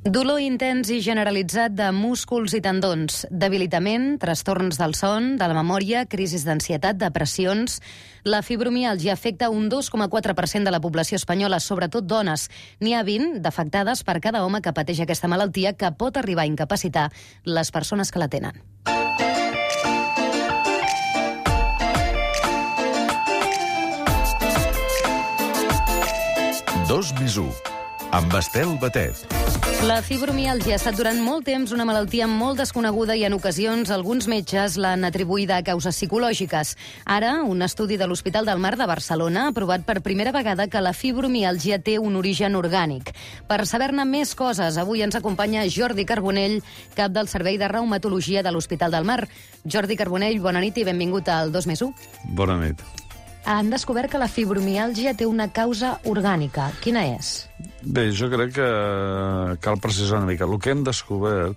Dolor intens i generalitzat de músculs i tendons, debilitament, trastorns del son, de la memòria, crisis d'ansietat, depressions. La fibromiàlgia afecta un 2,4% de la població espanyola, sobretot dones. N'hi ha 20 d'afectades per cada home que pateix aquesta malaltia, que pot arribar a incapacitar les persones que la tenen. Dos més u, amb Estel Batet. La fibromiàlgia ha estat durant molt temps una malaltia molt desconeguda i en ocasions alguns metges l'han atribuïda a causes psicològiques. Ara, un estudi de l'Hospital del Mar de Barcelona ha provat per primera vegada que la fibromiàlgia té un origen orgànic. Per saber-ne més coses, avui ens acompanya Jordi Carbonell, cap del Servei de Reumatologia de l'Hospital del Mar. Jordi Carbonell, bona nit i benvingut al 2+1. Bona nit. Han descobert que la fibromiàlgia té una causa orgànica. Quina és? Bé, jo crec que cal precisar una mica. El que hem descobert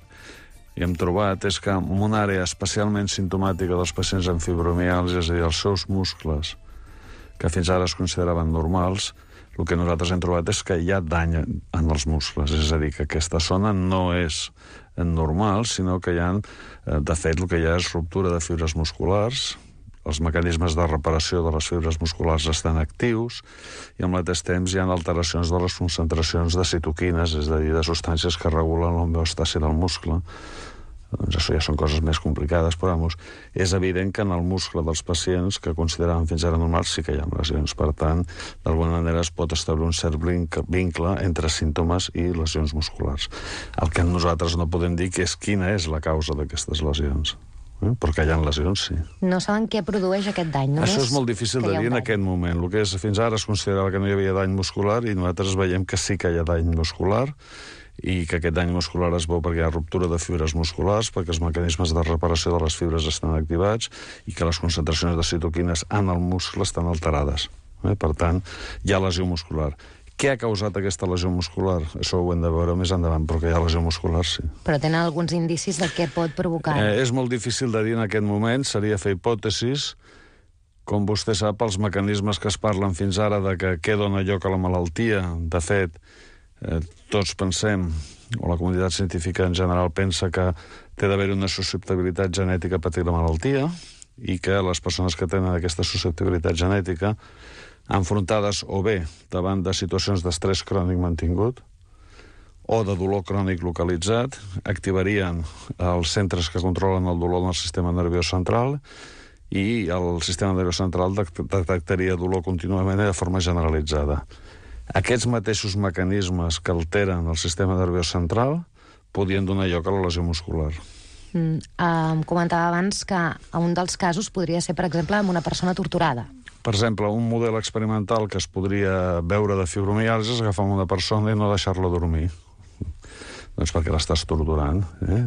i hem trobat és que en una àrea especialment simptomàtica dels pacients amb fibromiàlgia, és a dir, els seus muscles, que fins ara es consideraven normals, el que nosaltres hem trobat és que hi ha dany en els muscles. És a dir, que aquesta zona no és normal, sinó que hi ha, de fet, el que hi ha és ruptura de fibres musculars. Els mecanismes de reparació de les fibres musculars estan actius i al mateix temps hi ha alteracions de les concentracions de citoquines, és a dir, de substàncies que regulen l'homeòstasi del muscle. Doncs això ja són coses més complicades, però és evident que en el muscle dels pacients que consideraven fins ara normals sí que hi ha lesions. Per tant, d'alguna manera es pot establir un cert vincle entre símptomes i lesions musculars. El que nosaltres no podem dir que és quina és la causa d'aquestes lesions. Però que hi ha lesions, sí. No saben què produeix aquest dany, només. Això és molt difícil de dir en aquest moment. El que és, fins ara es considerava que no hi havia dany muscular i nosaltres veiem que sí que hi ha dany muscular i que aquest dany muscular es veu perquè hi ha ruptura de fibres musculars, perquè els mecanismes de reparació de les fibres estan activats i que les concentracions de citoquines en el muscle estan alterades. Per tant, hi ha lesió muscular. Què ha causat aquesta lesió muscular? Això ho hem de veure més endavant, però que hi ha lesió muscular, sí. Però tenen alguns indicis de què pot provocar? És molt difícil de dir en aquest moment, seria fer hipòtesis. Com vostè sap, els mecanismes que es parlen fins ara de que què dona lloc a la malaltia, de fet, tots pensem, o la comunitat científica en general pensa que té d'haver una susceptibilitat genètica a patir la malaltia i que les persones que tenen aquesta susceptibilitat genètica enfrontades o bé davant de situacions d'estrès crònic mantingut o de dolor crònic localitzat, activarien els centres que controlen el dolor en el sistema nerviós central i el sistema nerviós central detectaria dolor contínuament de forma generalitzada. Aquests mateixos mecanismes que alteren el sistema nerviós central podien donar lloc a la lesió muscular. Comentava abans que un dels casos podria ser, per exemple, amb una persona torturada. Per exemple, un model experimental que es podria veure de fibromiàlgia és agafar una persona i no deixar-la dormir. Doncs perquè l'estàs torturant.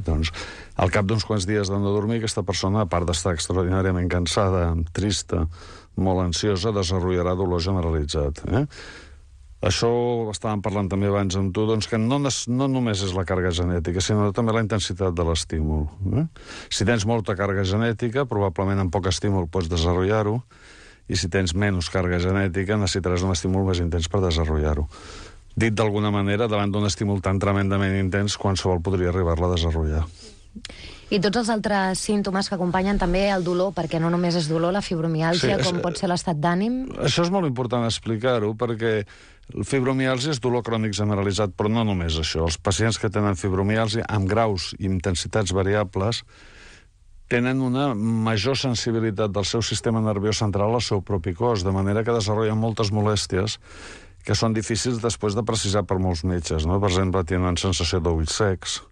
Doncs, al cap d'uns quants dies de no dormir, aquesta persona, a part d'estar extraordinàriament cansada, trista, molt ansiosa, desenvoluparà dolor generalitzat. Això estàvem parlant també abans amb tu, doncs que no només és la càrrega genètica, sinó també la intensitat de l'estímul. Si tens molta càrrega genètica, probablement amb poc estímul pots desenvolupar-ho, i si tens menys càrrega genètica necessitaràs un estímul més intens per desenvolupar-ho. Dit d'alguna manera, davant d'un estímul tan tremendament intens, qualsevol podria arribar-la a desenvolupar. I tots els altres símptomes que acompanyen també el dolor, perquè no només és dolor, la fibromiàlgia, com pot ser l'estat d'ànim? Això és molt important explicar-ho, perquè la fibromiàlgia és dolor crònic generalitzat, però no només això. Els pacients que tenen fibromiàlgia amb graus i intensitats variables tenen una major sensibilitat del seu sistema nerviós central al seu propi cos, de manera que desenvolupen moltes molèsties que són difícils després de precisar per molts metges. Per exemple, tenen sensació d'ulls secs,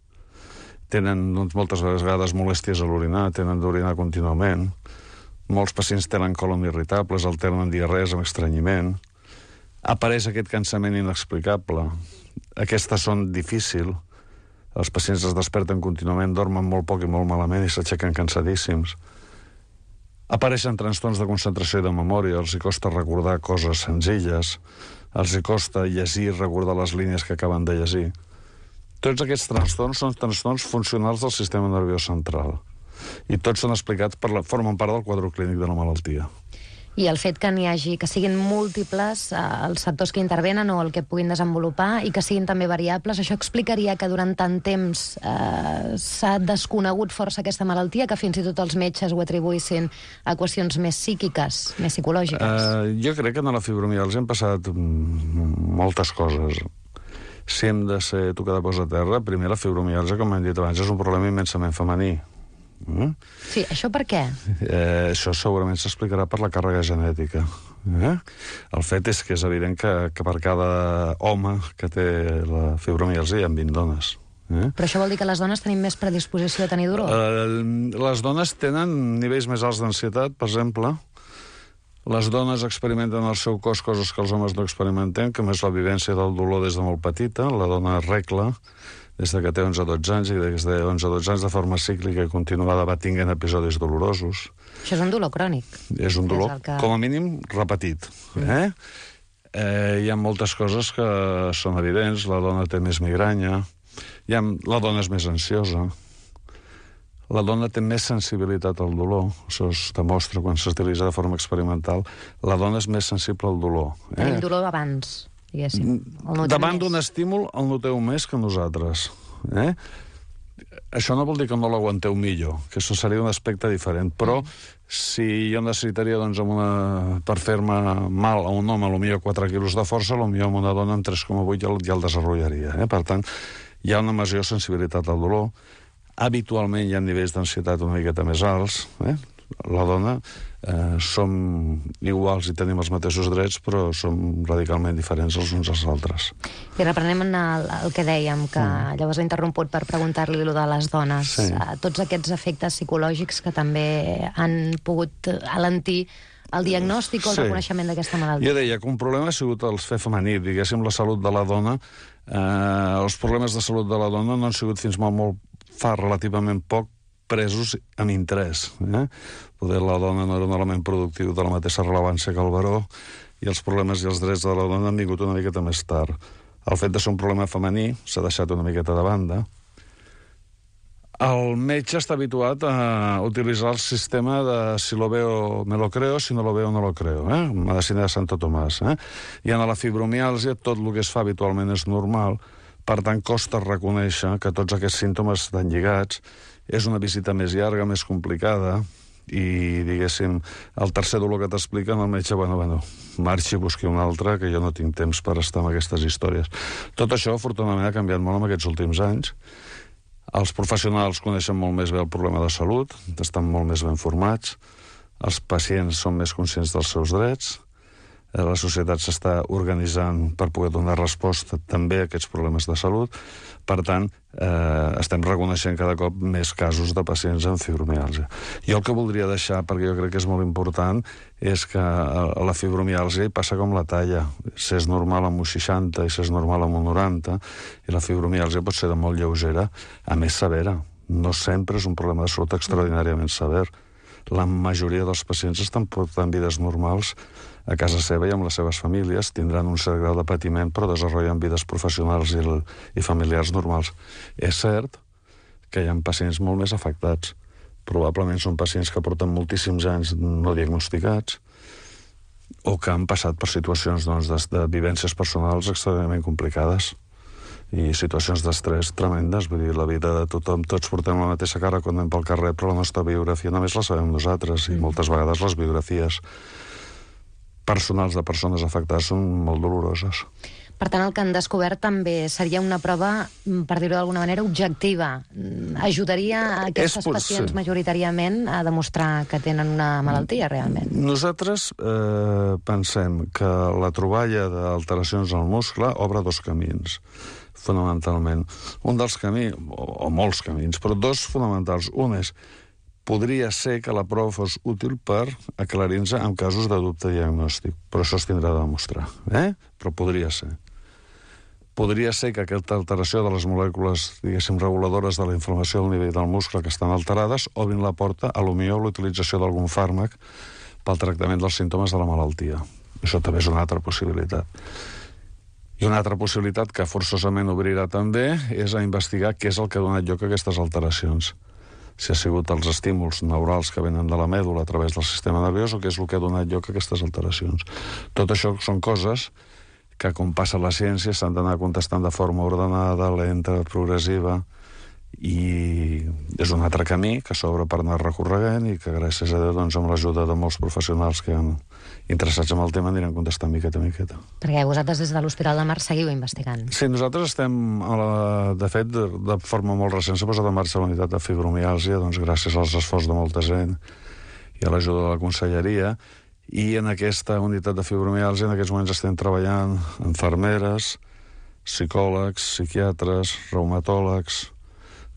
tenen moltes vegades molèsties a l'orinar, tenen d'orinar contínuament, molts pacients tenen colon irritables, alternen diarrees amb estrenyiment, apareix aquest cansament inexplicable, aquestes són difícils. Els pacients es desperten contínuament, dormen molt poc i molt malament i s'aixequen cansadíssims. Apareixen trastorns de concentració i de memòria, els hi costa recordar coses senzilles, els hi costa llegir i recordar les línies que acaben de llegir. Tots aquests trastorns són trastorns funcionals del sistema nerviós central i tots són explicats formen part del quadre clínic de la malaltia. I el fet que n'hi hagi, que siguin múltiples els sectors que intervenen o el que puguin desenvolupar i que siguin també variables, això explicaria que durant tant temps s'ha desconegut força aquesta malaltia, que fins i tot els metges ho atribuïssin a qüestions més psíquiques, més psicològiques. Jo crec que en la fibromiàlgia han passat moltes coses. Si hem de ser tocar de peus a terra, primer la fibromiàlgia, com hem dit abans, és un problema immensament femení. Sí, això per què? Això segurament s'explicarà per la càrrega genètica. El fet és que és evident que per cada home que té la fibromiàlgia hi ha 20 dones. Però això vol dir que les dones tenim més predisposició a tenir dolor? Les dones tenen nivells més alts d'ansietat, per exemple. Les dones experimenten al seu cos coses que els homes no experimentem, com és la vivència del dolor des de molt petita. La dona regla des que té 11-12 anys i des de 11-12 anys de forma cíclica i continuada va tinguent episodis dolorosos. Això és un dolor crònic. És un dolor, com a mínim, repetit. Hi ha moltes coses que són evidents. La dona té més migranya, la dona és més ansiosa, la dona té més sensibilitat al dolor. Això es demostra quan s'utilitza de forma experimental. La dona és més sensible al dolor. Tenim dolor abans, diguéssim. Davant d'un estímul el noteu més que nosaltres. Això no vol dir que no l'aguanteu millor, que això seria un aspecte diferent, però si jo necessitaria per fer-me mal a un home potser 4 quilos de força, potser amb una dona amb 3,8 ja el desenvoluparia. Per tant, hi ha una major sensibilitat al dolor. Habitualment hi ha nivells d'ansietat una miqueta més alts. La dona som iguals i tenim els mateixos drets, però som radicalment diferents els uns als altres. I reprenem el que dèiem, que llavors he interromput per preguntar-li allò de les dones. Sí. Tots aquests efectes psicològics que també han pogut alentir el diagnòstic o el reconeixement d'aquesta malaltia. Jo deia que un problema ha sigut el fer femení, diguéssim, la salut de la dona. Els problemes de salut de la dona no han sigut fins fa relativament poc presos amb interès. Poder la dona no era un element productiu de la mateixa rellevància que el baró i els problemes i els drets de la dona han vingut una miqueta més tard. El fet de ser un problema femení s'ha deixat una miqueta de banda. El metge està habituat a utilitzar el sistema de si lo veo me lo creo, si no lo veo no lo creo, medicina de Santo Tomàs. I en la fibromiàlgia tot el que es fa habitualment és normal, per tant costa reconèixer que tots aquests símptomes estan lligats. És una visita més llarga, més complicada, i, diguéssim, el tercer dolor que t'expliquen, el metge, marxi i busqui un altre, que jo no tinc temps per estar amb aquestes històries. Tot això, afortunadament, ha canviat molt en aquests últims anys. Els professionals coneixen molt més bé el problema de salut, estan molt més ben formats, els pacients són més conscients dels seus drets, la societat s'està organitzant per poder donar resposta també a aquests problemes de salut. Per tant, estem reconeixent cada cop més casos de pacients amb fibromiàlgia. Jo el que voldria deixar, perquè jo crec que és molt important, és que a la fibromiàlgia hi passa com la talla. Si és normal amb un 60 i si és normal amb un 90, i la fibromiàlgia pot ser de molt lleugera, a més severa. No sempre és un problema de salut extraordinàriament sever. La majoria dels pacients estan portant vides normals a casa seva i amb les seves famílies, tindran un cert grau de patiment, però desenvolupen vides professionals i familiars normals. És cert que hi ha pacients molt més afectats. Probablement són pacients que porten moltíssims anys no diagnosticats o que han passat per situacions de vivències personals extremadament complicades i situacions d'estrès tremendes. Vull dir, la vida de tothom, tots portem la mateixa cara quan anem pel carrer, però la nostra biografia només la sabem nosaltres, i moltes vegades les biografies personals de persones afectades són molt doloroses. Per tant, el que han descobert també seria una prova, per dir-ho d'alguna manera, objectiva. Ajudaria a aquestes pacients majoritàriament a demostrar que tenen una malaltia, realment. Nosaltres pensem que la troballa d'alteracions al muscle obre dos camins, fonamentalment. Un dels camins, o molts camins, però dos fonamentals. Un és, podria ser que la prova fos útil per aclarir-nos en casos de dubte diagnòstic, però això es tindrà de demostrar. Però podria ser. Podria ser que aquesta alteració de les molècules, diguéssim, reguladores de la inflamació del nivell del muscle que estan alterades obrin la porta a l'utilització d'algun fàrmac pel tractament dels símptomes de la malaltia. Això també és una altra possibilitat. I una altra possibilitat que forçosament obrirà també és a investigar què és el que ha donat lloc a aquestes alteracions. si ha sigut els estímuls neurals que venen de la mèdula a través del sistema nerviós o què és el que ha donat lloc a aquestes alteracions. Tot això són coses que, com passa a la ciència, s'han d'anar contestant de forma ordenada, lenta, progressiva, i és un altre camí que s'obre per anar recorregant i que, gràcies a Déu, doncs, amb l'ajuda de molts professionals que han interessats en el tema, aniran contestant miqueta a miqueta. Perquè vosaltres des de l'Hospital del Mar seguiu investigant. Sí, nosaltres estem, de fet, de forma molt recent s'ha posat en marxa la unitat de fibromiàlgia, doncs gràcies als esforços de molta gent i a l'ajuda de la conselleria, i en aquesta unitat de fibromiàlgia en aquests moments estem treballant infermeres, psicòlegs, psiquiatres, reumatòlegs,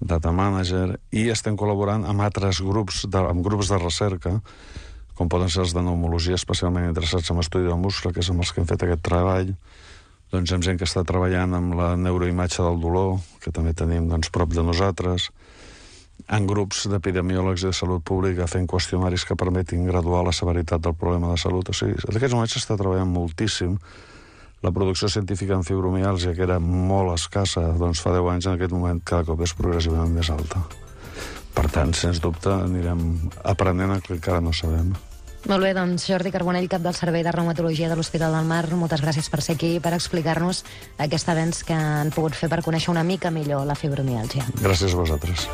data manager, i estem col·laborant amb altres grups de recerca, com poden ser els de pneumologia, especialment interessats en estudi del muscle, que és amb els que hem fet aquest treball, doncs amb gent que està treballant amb la neuroimatge del dolor, que també tenim doncs, prop de nosaltres, en grups d'epidemiòlegs i de salut pública fent qüestionaris que permetin graduar la severitat del problema de salut. O sigui, en aquests moments s'està treballant moltíssim. La producció científica en fibromiàlgia, que era molt escassa doncs fa 10 anys, en aquest moment cada cop és progressivament més alta. Per tant, sens dubte, anirem aprenent el que encara no sabem. Molt bé, doncs Jordi Carbonell, cap del Servei de Reumatologia de l'Hospital del Mar, moltes gràcies per ser aquí i per explicar-nos aquest avenç que han pogut fer per conèixer una mica millor la fibromiàlgia. Gràcies a vosaltres.